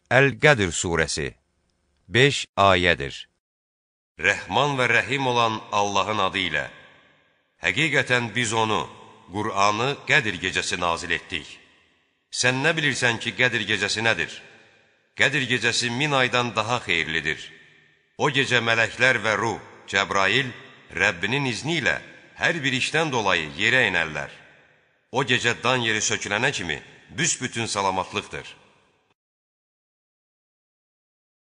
Əl-Qədr surəsi 5 ayədir. Rəhman və rəhim olan Allahın adı ilə. Həqiqətən biz onu, Qur'anı Qədr gecəsi nazil etdik. Sən nə bilirsən ki, Qədr gecəsi nədir? Qədr gecəsi 1000 aydan daha xeyirlidir. O gecə mələklər və ruh, Cəbrail, Rəbbinin izni ilə hər bir işdən dolayı yerə inərlər. O gecə dan yeri sökülənə kimi büsbütün salamatlıqdır.